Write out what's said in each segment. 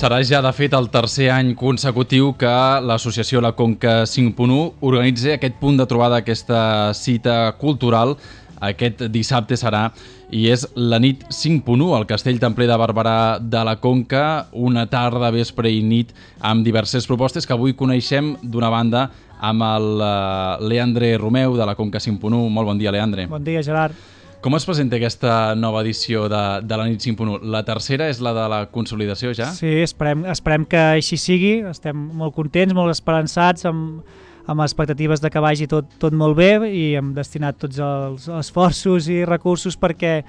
Serà ja, de fet, el tercer any consecutiu que l'associació La Conca 5.1 organitza aquest punt de trobada, aquesta cita cultural. Aquest dissabte serà, i és la nit 5.1 al Castell Templer de Barberà de la Conca, una tarda, vespre i nit amb diverses propostes que avui coneixem d'una banda amb el Leandre Romeu de la Conca 5.1. Molt bon dia, Leandre. Bon dia, Gerard. Com es presenta aquesta nova edició de la nit 5.1? La tercera és la de la consolidació ja? Sí, esperem que així sigui. Estem molt contents, molt esperançats, amb expectatives de que vagi tot molt bé, i hem destinat tots els esforços i recursos perquè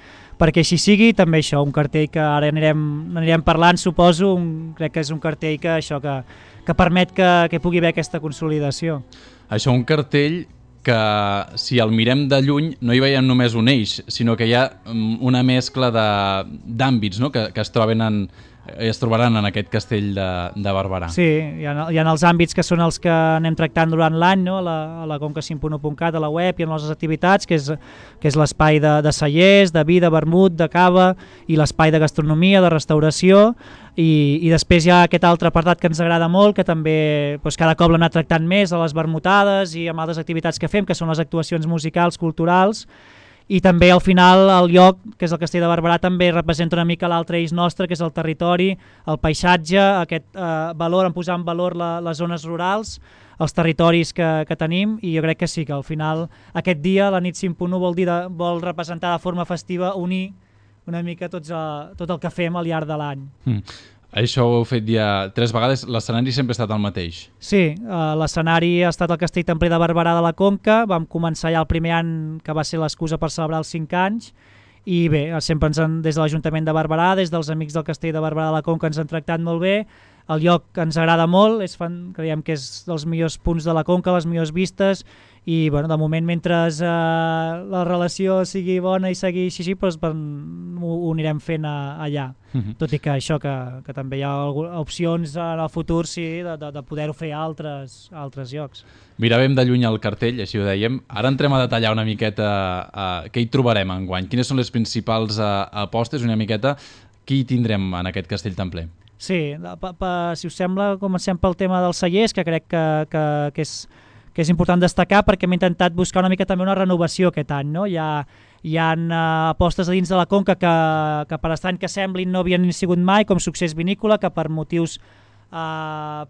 així sigui. També això, un cartell que ara anirem parlant, suposo. Crec que és un cartell que permet que pugui haver aquesta consolidació. Això, un cartell que, si el mirem de lluny, no hi veiem només un eix, sinó que hi ha una mescla d'àmbits, no? que es trobaran en aquest castell de Barberà. Sí, hi ha els àmbits que són els que anem tractant durant l'any, no? a la conca5.1.cat, a la web i en les activitats, que és l'espai de cellers, de vi, de vermut, de cava, i l'espai de gastronomia, de restauració, i després hi ha aquest altre apartat que ens agrada molt, que també cada cop l'hem anat tractant més a les vermutades i amb altres activitats que fem, que són les actuacions musicals, culturals. I també al final el lloc, que és el Castell de Barberà, també representa una mica l'altre eix nostre, que és el territori, el paisatge, aquest valor, en posar en valor les zones rurals, els territoris que tenim, i jo crec que sí, que al final aquest dia, la nit 5.1, vol representar de forma festiva, unir una mica tot el que fem al llarg de l'any. Això ho heu fet ja 3 vegades, l'escenari sempre ha estat el mateix? Sí, l'escenari ha estat el Castell Templer de Barberà de la Conca. Vam començar ja el primer any, que va ser l'excusa per celebrar els 5 anys, i bé, sempre des de l'Ajuntament de Barberà, des dels amics del Castell de Barberà de la Conca, ens han tractat molt bé. El lloc ens agrada molt, creiem que és dels millors punts de la Conca, les millors vistes, i bueno, de moment, mentre la relació sigui bona i seguir així, ho anirem fent allà. Tot i que això, que també hi ha opcions en el futur, sí, de poder-ho fer a altres llocs. Miràvem de lluny el cartell, així ho dèiem. Ara entrem a detallar una miqueta què hi trobarem enguany. Quines són les principals apostes, una miqueta, qui hi tindrem en aquest Castell Templer? Sí, si us sembla, comencem pel tema dels cellers, que crec que és important destacar, perquè hem intentat buscar una mica també una renovació aquest any, no? Hi ha apostes a dins de la Conca que per estrany que semblin no havien sigut mai, com Succés Vinícola, que per motius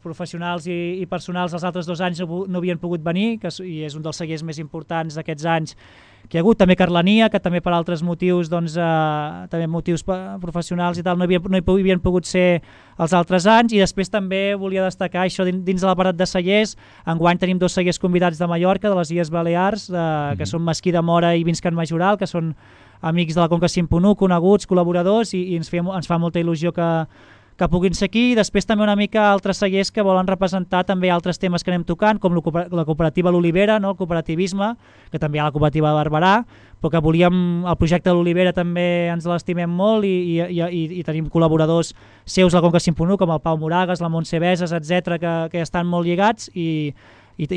professionals i personals els altres 2 anys no havien pogut venir, i és un dels cellers més importants d'aquests anys que hi ha hagut. També Carlania, que també per altres motius, també motius professionals i tal, no hi havien pogut ser els altres anys. I després també volia destacar això dins de l'aparat de cellers. Enguany tenim 2 cellers convidats de Mallorca, de les Illes Balears, que són Mesquí de Mora i Vins Can Majoral, que són amics de la Conca 5.1, coneguts, col·laboradors, i ens fa molta il·lusió que puguin ser aquí. I després també una mica altres cellers que volen representar també altres temes que anem tocant, com la cooperativa L'Olivera, no? El cooperativisme, que també hi ha la cooperativa de Barberà, però que el projecte de l'Olivera també ens l'estimem molt, i tenim col·laboradors seus a la Conca 5.1, com el Pau Moragas, la Montse Beses, etc., que estan molt lligats, i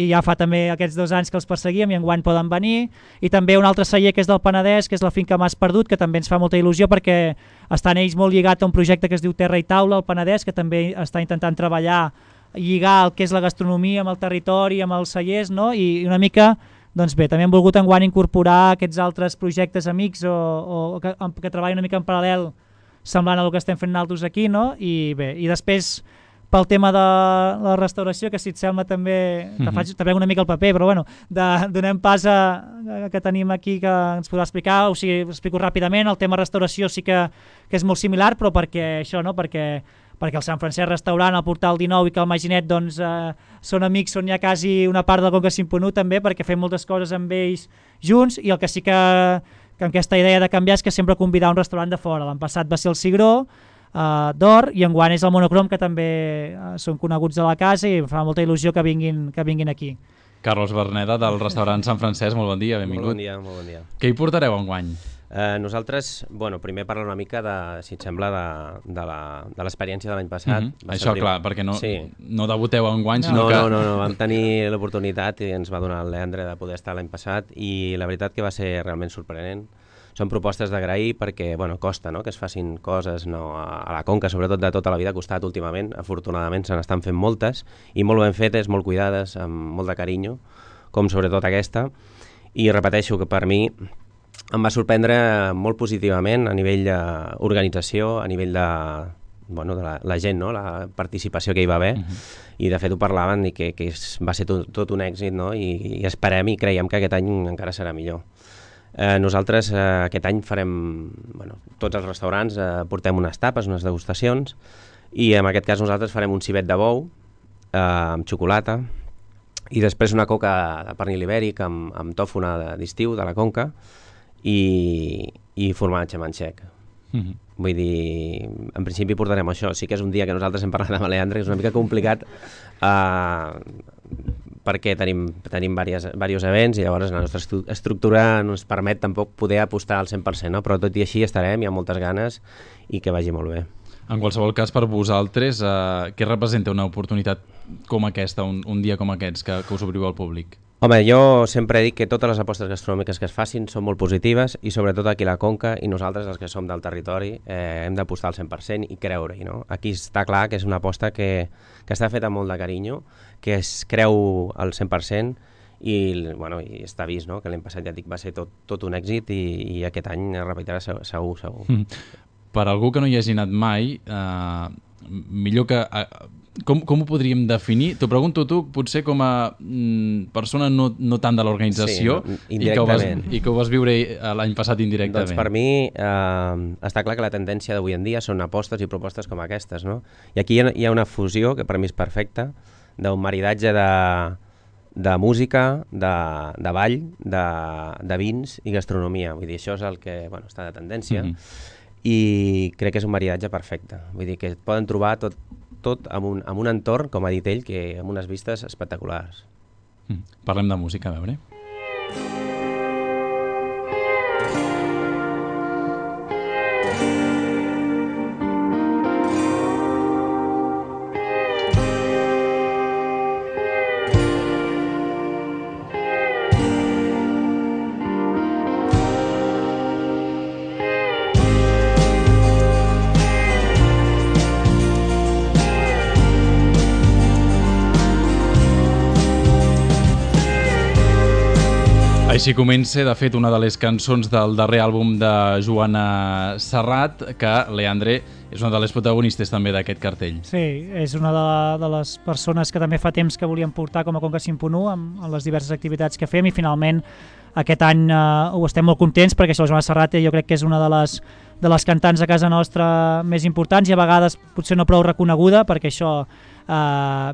ja fa també aquests 2 anys que els perseguíem, i enguany poden venir. I també un altre celler que és del Penedès, que és la finca Mas Perdut, que també ens fa molta il·lusió perquè estan ells molt lligats a un projecte que es diu Terra i Taula al Penedès, que també està intentant treballar, lligar el que és la gastronomia amb el territori, amb els cellers, no? I una mica, doncs bé, també hem volgut enguany incorporar aquests altres projectes amics o que treballen una mica en paral·lel, semblant al que estem fent nosaltres aquí, no? I bé, i després pel tema de la restauració, que si et sembla també te prenc una mica el paper, però bueno, donem pas que tenim aquí, que ens podrà explicar. O sigui, explico ràpidament. El tema restauració sí que és molt similar, però perquè això, no? Perquè el Sant Francesc Restaurant, el Portal 19 i que el Maginet són amics, són ja quasi una part del Conca 5.1 també, perquè fem moltes coses amb ells junts. I el que sí que amb aquesta idea de canviar és que sempre convidar un restaurant de fora. L'any passat va ser el Cigró d'Or, i enguany és el Monocrom, que també són coneguts de la casa, i em fa molta il·lusió que vinguin aquí. Carlos Berneda, del restaurant Sant Francesc, molt bon dia, benvingut. Molt bon dia. Què hi portareu enguany? Nosaltres, primer parlar una mica, si et sembla, de l'experiència de l'any passat. Això, clar, perquè no debuteu enguany, sinó que... No, vam tenir l'oportunitat, i ens va donar el Leandre, de poder estar l'any passat, i la veritat que va ser realment sorprenent. són propostes d'agrair perquè costa que es facin coses a la Conca, sobretot de tota la vida ha costat últimament, afortunadament se n'estan fent moltes i molt ben fetes, molt cuidades, amb molt de carinyo, com sobretot aquesta, i repeteixo que per mi em va sorprendre molt positivament a nivell d'organització, a nivell de la gent, la participació que hi va haver, i de fet ho parlaven i que va ser tot un èxit, i esperem i creiem que aquest any encara serà millor. Nosaltres aquest any farem, tots els restaurants portem unes tapes, unes degustacions, i en aquest cas nosaltres farem un civet de bou amb xocolata i després una coca de pernil ibèric amb tòfona d'estiu de la Conca i formatge manxec. Vull dir, en principi portarem això. Sí que és un dia que nosaltres hem parlat amb Leandre, és una mica complicat perquè tenim diversos events i llavors la nostra estructura no ens permet tampoc poder apostar al 100%, no? Però tot i així estarem, hi ha moltes ganes i que vagi molt bé. En qualsevol cas, per vosaltres, què representa una oportunitat com aquesta, un dia com aquests, que us obriu al públic? Home, jo sempre dic que totes les apostes gastronòmiques que es facin són molt positives i sobretot aquí a la Conca i nosaltres, els que som del territori, hem d'apostar al 100% i creure-hi, no? Aquí està clar que és una aposta que està feta amb molt de carinyo, que es creu al 100% i està vist, no? Que l'any passat, ja dic, va ser tot un èxit i aquest any es repetirà segur. Per algú que no hi hagi anat mai, millor que... Com ho podríem definir? T'ho pregunto tu, potser com a persona no tant de l'organització, sí, i que ho vas viure l'any passat indirectament. Doncs per mi està clar que la tendència d'avui en dia són apostes i propostes com aquestes, no? I aquí hi ha una fusió que per mi és perfecta, d'un maridatge de música, de ball, de vins i gastronomia. Vull dir, això és el que està de tendència i crec que és un maridatge perfecte. Vull dir que poden trobar tot amb un entorn, com ha dit ell, que amb unes vistes espectaculars. Parlem de música, a veure. Així comença, de fet, una de les cançons del darrer àlbum de Joana Serrat, que, Leandre, és una de les protagonistes també d'aquest cartell. Sí, és una de les persones que també fa temps que volíem portar com a Conca 5.1 amb les diverses activitats que fem i finalment aquest any ho estem molt contents perquè això, Joana Serrat jo crec que és una de les cantants a casa nostra més importants i a vegades potser no prou reconeguda perquè això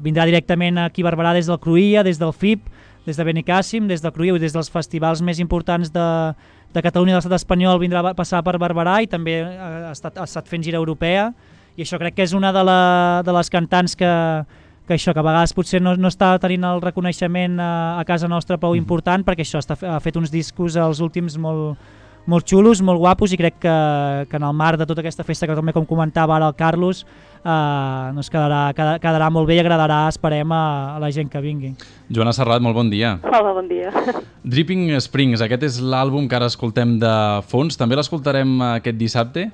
vindrà directament aquí a Barberà des del Cruïlla, des del FIP, des de Benicàssim, des del Cruïlla i des dels festivals més importants de Catalunya i de l'estat espanyol vindrà a passar per Barberà i també ha estat fent gira europea i això crec que és una de les cantants que a vegades potser no està tenint el reconeixement a casa nostra prou important perquè això ha fet uns discos els últims molt xulos, molt guapos i crec que en el marc de tota aquesta festa que també com comentava ara el Carlos quedarà molt bé i agradarà, esperem, a la gent que vingui. Joana Serrat, molt bon dia. Hola, bon dia. Dripping Springs, aquest és l'àlbum que ara escoltem de fons, també l'escoltarem aquest dissabte?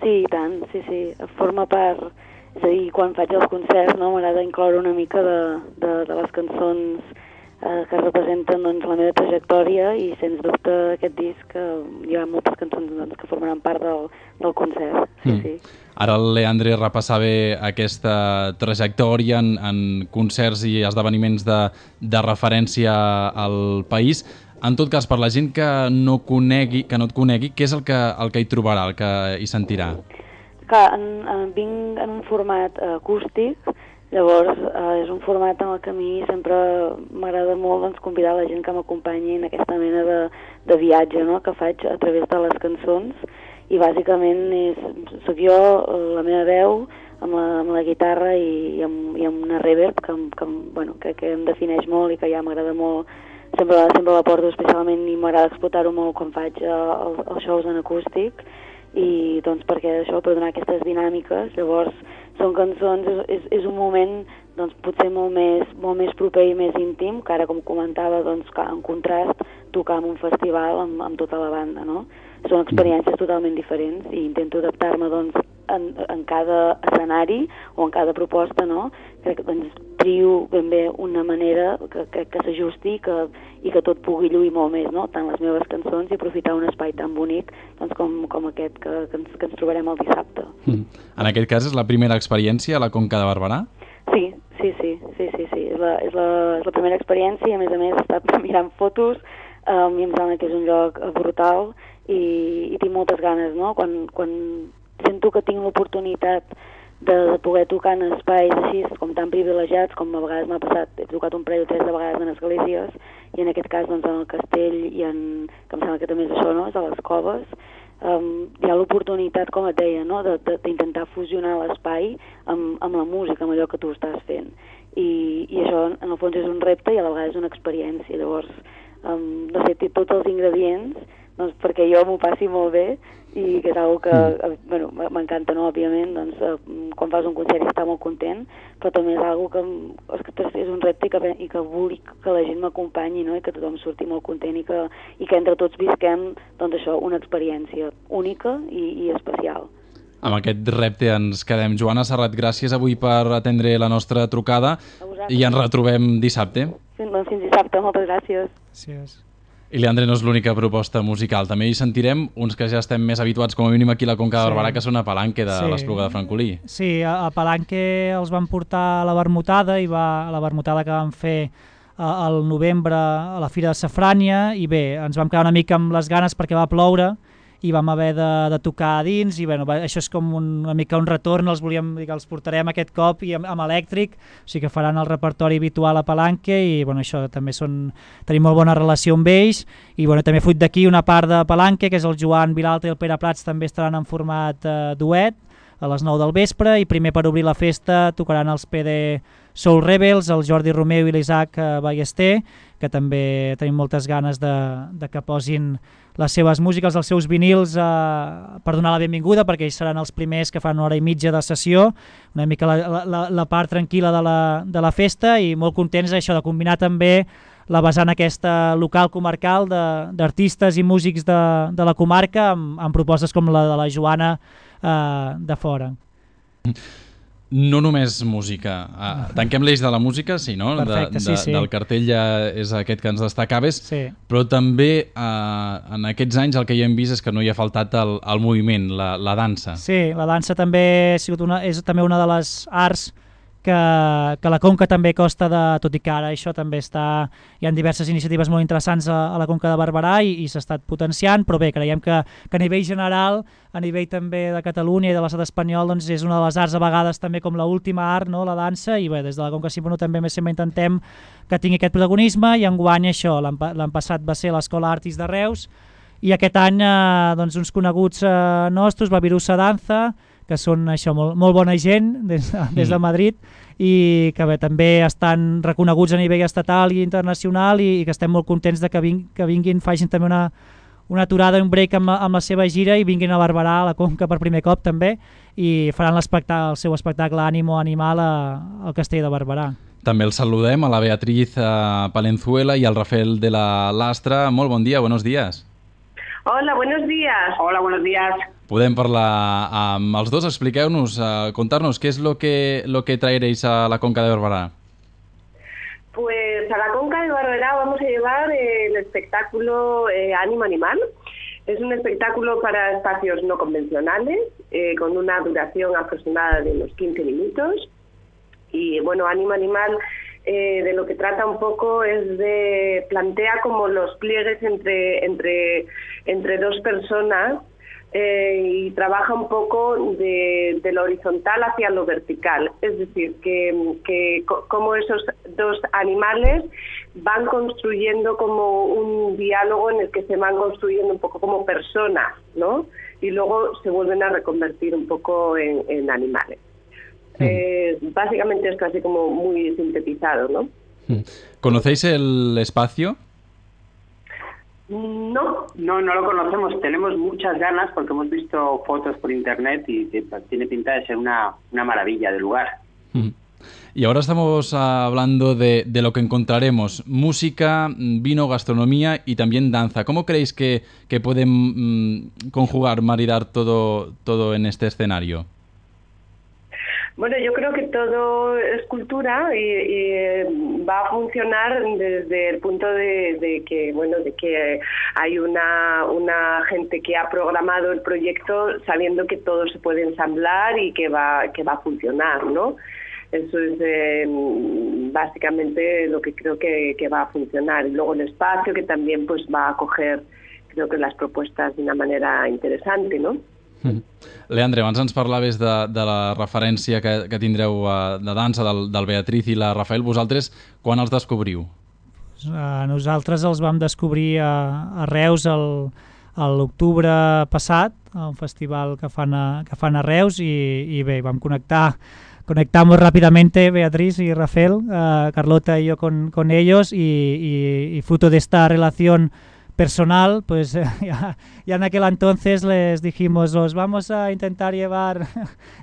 Sí, i tant, sí, forma part, és a dir, quan faig els concerts m'agrada incloure una mica de les cançons que representen la meva trajectòria i sens dubte aquest disc hi ha moltes cançons que formaran part del concert. Sí. Ara el Leandre repassava aquesta trajectòria en concerts i esdeveniments de referència al país. En tot cas, per la gent que no et conegui, què és el que hi trobarà, el que hi sentirà? Clar, vinc en un format acústic. Llavors, és un format en el que a mi sempre m'agrada molt convidar la gent que m'acompanyi en aquesta mena de viatge que faig a través de les cançons i bàsicament soc jo, la meva veu, amb la guitarra i amb una reverb que em defineix molt i que ja m'agrada molt, sempre la porto especialment i m'agrada explotar-ho molt quan faig els shows en acústic i doncs perquè això, per donar aquestes dinàmiques. Llavors són cançons, és un moment doncs potser molt més proper i més íntim, que ara com comentava, doncs en contrast tocar en un festival amb tota la banda, no? Són experiències totalment diferents i intento adaptar-me doncs en cada escenari o en cada proposta, no? Crec que doncs trio ben bé una manera que s'ajusti i que tot pugui lluir molt més, no? Tant les meves cançons i aprofitar un espai tan bonic doncs, com aquest que ens trobarem el dissabte. En aquest cas és la primera experiència a la Conca de Barberà? Sí. És la primera experiència i a més he estat mirant fotos i em sembla que és un lloc brutal i tinc moltes ganes, no? Quan sento que tinc l'oportunitat de poder tocar en espais així com tan privilegiats com a vegades m'ha passat, he tocat un parell o tres de vegades en esglésies i en aquest cas doncs en el castell que em sembla que també és això, no? És a les coves. Hi ha l'oportunitat, com et deia, no? d'intentar fusionar l'espai amb la música, amb allò que tu estàs fent. I això, en el fons, és un repte i a la vegada és una experiència. Llavors, no sé, té tots els ingredients doncs, perquè jo m'ho passi molt bé i que és una que bueno, m'encanta, no? Òbviament, doncs, quan fas un concert i està molt content, però també és una que és un repte i que vull que la gent m'acompanyi, no? I que tothom surti molt content i que entre tots visquem doncs, això, una experiència única i especial. Amb aquest repte ens quedem. Joana Serrat, gràcies avui per atendre la nostra trucada i ens retrobem dissabte. Fins dissabte, moltes gràcies. Gràcies. I Leandre, no és l'única proposta musical. També hi sentirem uns que ja estem més habituats, com a mínim aquí a la Conca de Barberà, que són a Palanque de l'Espluga de Francolí. Sí, a Palanque els van portar a la Vermutada, a la Vermutada que van fer al novembre a la Fira de Safrània, i bé, ens vam quedar una mica amb les ganes perquè va ploure i vam haver de tocar a dins i bueno, això és com una mica un retorn, els portarem aquest cop i amb elèctric, o sigui que faran el repertori habitual a Palanque i bueno, això també tenim molt bona relació amb ells i bueno, també fruit d'aquí una part de Palanque, que és el Joan Vilalta i el Pere Prats, també estaran en format duet a les 9 del vespre i primer per obrir la festa tocaran els PD Soul Rebels, el Jordi Romeu i l'Isaac Ballester, que també tenim moltes ganes de que posin les seves músiques, els seus vinils per donar la benvinguda, perquè ells seran els primers que fan una hora i mitja de sessió, una mica la part tranquil·la de la festa i molt contents d'això, de combinar també la vessant aquesta local comarcal d'artistes i músics de la comarca amb propostes com la de la Joana de fora. No només música. Tanquem l'eix de la música, sí, no? Perfecte, sí. Del cartell ja és aquest que ens destacaves, sí. Però també en aquests anys el que ja hem vist és que no hi ha faltat el moviment, la dansa. Sí, la dansa també és també una de les arts que la Conca també costa tot i que ara això també hi ha diverses iniciatives molt interessants a la Conca de Barberà i s'ha estat potenciant, però bé, creiem que a nivell general, a nivell també de Catalunya i de l'estat espanyol, doncs és una de les arts a vegades també com l'última art, no? La dansa, i bé, des de la Conca Simpono també sempre intentem que tingui aquest protagonisme i enguany això, l'any passat va ser l'Escola Artis de Reus i aquest any doncs, uns coneguts nostres, Babirusa Danza, que són això, molt bona gent des de Madrid i que bé, també estan reconeguts a nivell estatal i internacional i que estem molt contents de que vinguin, facin també una aturada, un break amb la seva gira i vinguin a Barberà, a la Conca per primer cop també i faran el seu espectacle Ànimo Animal al Castell de Barberà. També els saludem a la Beatriz Palenzuela i al Rafael de la Lastra. Molt bon dia, buenos días. Hola, buenos días. Hola, buenos días. Podem parlar amb els dos, expliqueu-nos, contar-nos qué es lo que traeréis a la Conca de Barberà. Pues a la Conca de Barberá vamos a llevar el espectáculo Ánimo Animal. Es un espectáculo para espacios no convencionales, con una duración aproximada de unos 15 minutos. Y bueno, Ánimo Animal de lo que trata un poco es plantea como los pliegues entre dos personas y trabaja un poco de lo horizontal hacia lo vertical. Es decir, que como esos dos animales van construyendo como un diálogo en el que se van construyendo un poco como personas, ¿no? Y luego se vuelven a reconvertir un poco en animales. Básicamente esto así como muy sintetizado, ¿no? ¿Conocéis el espacio? No. No lo conocemos. Tenemos muchas ganas porque hemos visto fotos por internet y tiene pinta de ser una maravilla de lugar. Y ahora estamos hablando de lo que encontraremos: música, vino, gastronomía y también danza. ¿Cómo creéis que pueden conjugar, maridar todo en este escenario? Bueno, yo creo que todo es cultura y va a funcionar desde el punto de que hay una gente que ha programado el proyecto sabiendo que todo se puede ensamblar y que va a funcionar, ¿no? Eso es básicamente lo que creo que va a funcionar. Y luego el espacio, que también pues va a acoger, creo que, las propuestas de una manera interesante, ¿no? Leandre, abans ens parlaves de la referència que tindreu de dansa del Beatriz i la Rafael. Vosaltres quan els descobriu? Nosaltres els vam descobrir a Reus a l'octubre passat, a un festival que fan a Reus, i bé, vam conectamos rápidamente Beatriz y Rafael, Carlota y yo con ellos, y fruto de esta relación personal, pues ya en aquel entonces les dijimos, los vamos a intentar llevar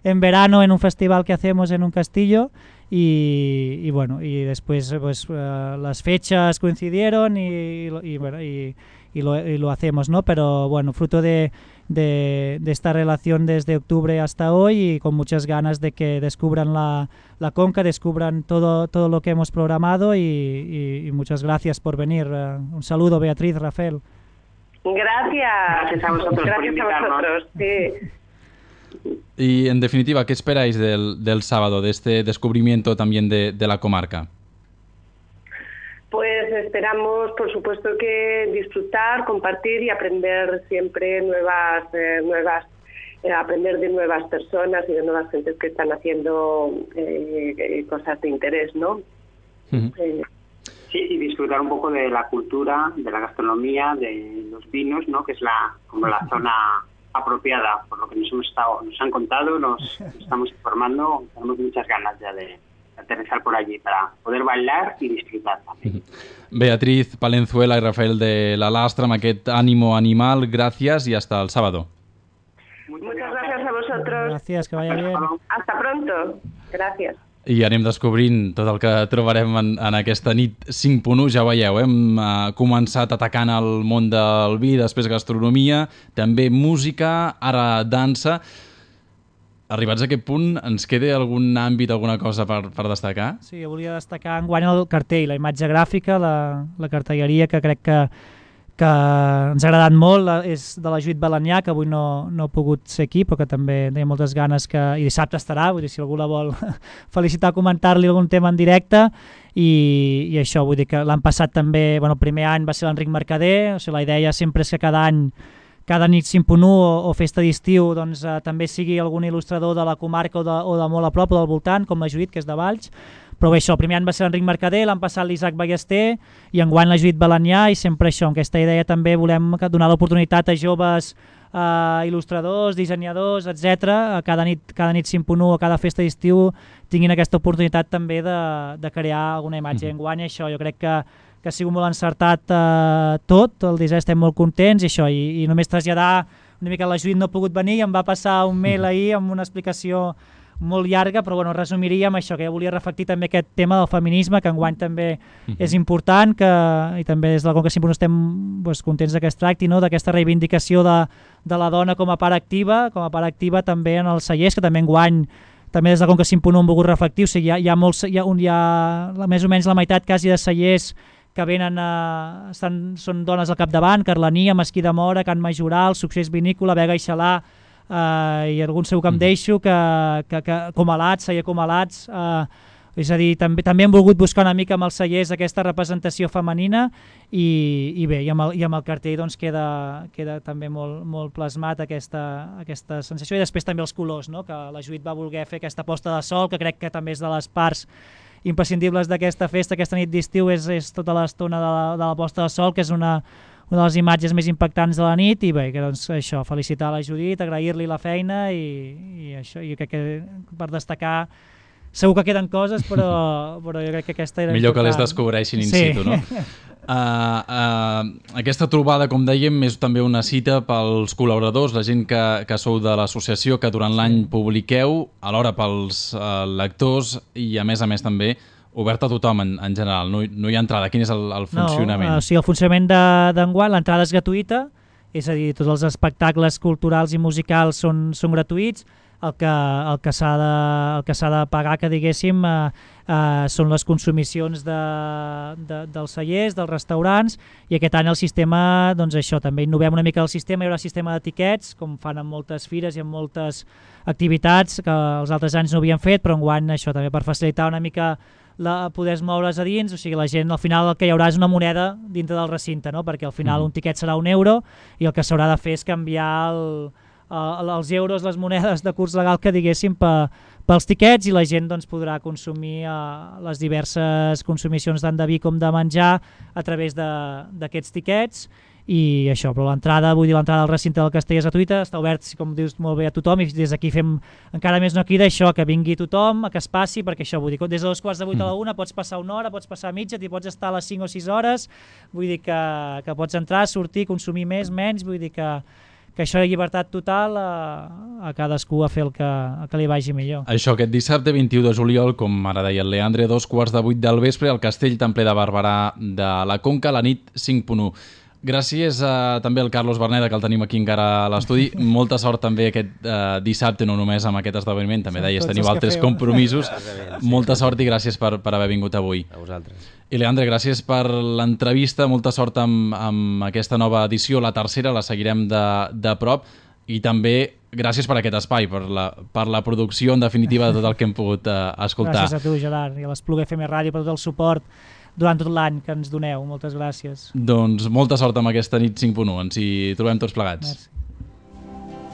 en verano en un festival que hacemos en un castillo, y bueno, y después pues las fechas coincidieron y lo hacemos, ¿no? Pero bueno, fruto de esta relación desde octubre hasta hoy, y con muchas ganas de que descubran la Conca, descubran todo lo que hemos programado, y muchas gracias por venir. Un saludo, Beatriz, Rafael. Gracias a vosotros por invitarnos. Sí. Y en definitiva, ¿qué esperáis del sábado, de este descubrimiento también de la comarca? Pues esperamos, por supuesto, que disfrutar, compartir y aprender siempre aprender de nuevas personas y de nuevas gentes que están haciendo cosas de interés, ¿no? Sí, y disfrutar un poco de la cultura, de la gastronomía, de los vinos, ¿no? Que es como la zona apropiada, por lo que nos han contado, nos estamos informando, tenemos muchas ganas ya de aterrizar por allí para poder bailar y disfrutar también. Beatriz Palenzuela y Rafael de la Lastra, amb aquest ánimo animal, gracias y hasta el sábado. Muchas gracias a vosotros. Gracias, que vaya bien. Hasta pronto. Gracias. I anem descobrint tot el que trobarem en aquesta nit 5.1. Ja veieu, hem començat atacant el món del vi, després gastronomia, també música, ara dansa. Arribats a aquest punt, ens queda algun àmbit, alguna cosa per destacar? Sí, jo volia destacar enguany el cartell, la imatge gràfica, la cartelleria, que crec que ens ha agradat molt, és de la Judit Balanyà, que avui no ha pogut ser aquí, però que també té moltes ganes, i dissabte estarà, vull dir, si algú la vol felicitar, comentar-li algun tema en directe, i això, vull dir que l'any passat també, bueno, el primer any va ser l'Enric Mercader, o sigui, la idea sempre és que cada any, cada nit 5.1 o festa d'estiu, doncs també sigui algun il·lustrador de la comarca o de molt a prop o del voltant, com la Judit, que és de Valls. Però bé, això, el primer any va ser l'Enric Mercader, l'any passat l'Isaac Ballester, i enguany la Judit Balanyà, i sempre això, amb aquesta idea també volem donar l'oportunitat a joves il·lustradors, dissenyadors, etc. Cada nit 5.1 o cada festa d'estiu tinguin aquesta oportunitat també de crear alguna imatge. Enguany això, jo crec que ha sigut molt encertat tot, el disseny, estem molt contents, i això, i només traslladar una mica, la Judit no ha pogut venir, em va passar un mail ahir amb una explicació molt llarga, però bueno, resumiríem això, que ja volia reflectir també aquest tema del feminisme, que enguany també és important, i també des de la Conca 5.1 estem contents que es tracti, no? D'aquesta reivindicació de la dona com a part activa també en els cellers, que també enguany també des de la Conca 5.1 hem volgut reflectir. O sigui, hi ha més o menys la meitat quasi de cellers que venen, són dones al capdavant: Carlania, Mesquí de Mora, Can Majoral, Succés Vinícola, Vega i Xalà, i algun segur que em deixo, que Comalats, celler Comalats, és a dir, també hem volgut buscar una mica amb els cellers aquesta representació femenina, i bé, i amb el cartell doncs queda també molt plasmat aquesta sensació, i després també els colors, no? Que la Judit va voler fer aquesta posta de sol, que crec que també és de les parts imprescindibles d'aquesta festa, aquesta nit d'estiu, és tota l'estona de la posta de sol, que és una de les imatges més impactants de la nit. I bé, doncs això, felicitar la Judit, agrair-li la feina, i això, jo crec que per destacar segur que queden coses, però jo crec que aquesta era millor important. Que les descobreixin in situ, no? Aquesta trobada, com dèiem, és també una cita pels col·laboradors, la gent que sou de l'associació, que durant l'any publiqueu, alhora pels lectors i a més també obert a tothom en general, no hi ha entrada. Quin és el funcionament? No, o sigui, el funcionament d'enguany, l'entrada és gratuïta, és a dir, tots els espectacles culturals i musicals són gratuïts. El que s'ha de pagar, que diguéssim, són les consumicions dels cellers, dels restaurants, i aquest any el sistema, doncs això, també innovem una mica el sistema, hi haurà sistema d'etiquets, com fan en moltes fires i en moltes activitats que els altres anys no havien fet, però enguany això també per facilitar una mica poder moure's a dins, o sigui, la gent al final el que hi haurà és una moneda dintre del recinte, no? Perquè al final un tiquet serà €1 i el que s'haurà de fer és canviar els euros, les monedes de curs legal que diguéssim pels tiquets, i la gent doncs, podrà consumir les diverses consumicions tant de vi com de menjar a través d'aquests tiquets. I això, però l'entrada al recinte del castell és gratuïta, està obert, com dius molt bé, a tothom, i des d'aquí fem encara més una crida, això, que vingui tothom, que es passi, perquè això, vull dir, des de 2:45 a la 1 pots passar una hora, pots passar mitja, t'hi pots estar a les 5 o 6 hores, vull dir que pots entrar, sortir, consumir més, menys, vull dir que això és llibertat total, a cadascú a fer el que li vagi millor. Això, aquest dissabte 21 de juliol, com ara deia el Leandre, 2:15 del vespre, al Castell Templer de Barberà de la Conca, la nit 5.1. Gràcies també al Carlos Verneda, que el tenim aquí encara a l'estudi. Molta sort també aquest dissabte, no només amb aquest esdeveniment, també deies, teniu altres compromisos. Molta sort i gràcies per haver vingut avui. A vosaltres. I Leandre, gràcies per l'entrevista, molta sort amb aquesta nova edició, la tercera, la seguirem de prop, i també gràcies per aquest espai, per la producció, en definitiva, de tot el que hem pogut escoltar. Gràcies a tu, Gerard, i a l'Espluga FM Ràdio per tot el suport durant tot l'any que ens doneu. Moltes gràcies. Doncs molta sort amb aquesta nit 5.1. Ens hi trobem tots plegats. Merci.